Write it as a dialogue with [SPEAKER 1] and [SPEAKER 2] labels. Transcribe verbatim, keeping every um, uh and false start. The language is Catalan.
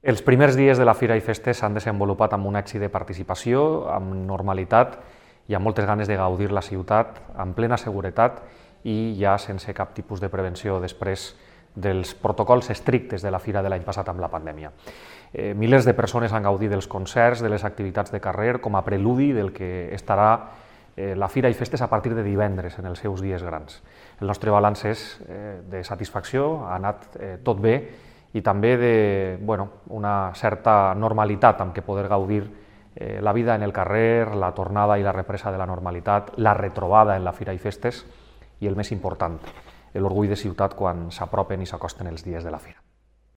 [SPEAKER 1] Els primers dies de la Fira i Festes s'han desenvolupat amb un èxit de participació, amb normalitat i amb moltes ganes de gaudir la ciutat amb plena seguretat i ja sense cap tipus de prevenció després dels protocols estrictes de la Fira de l'any passat amb la pandèmia. Eh, milers de persones han gaudit dels concerts, de les activitats de carrer, com a preludi del que estarà eh, la Fira i Festes a partir de divendres, en els seus dies grans. El nostre balanç és eh, de satisfacció, ha anat eh, tot bé, i també de bueno, una certa normalitat amb què poder gaudir eh, la vida en el carrer, la tornada i la represa de la normalitat, la retrobada en la Fira i Festes i el més important, l'orgull de ciutat quan s'apropen i s'acosten els dies de la Fira.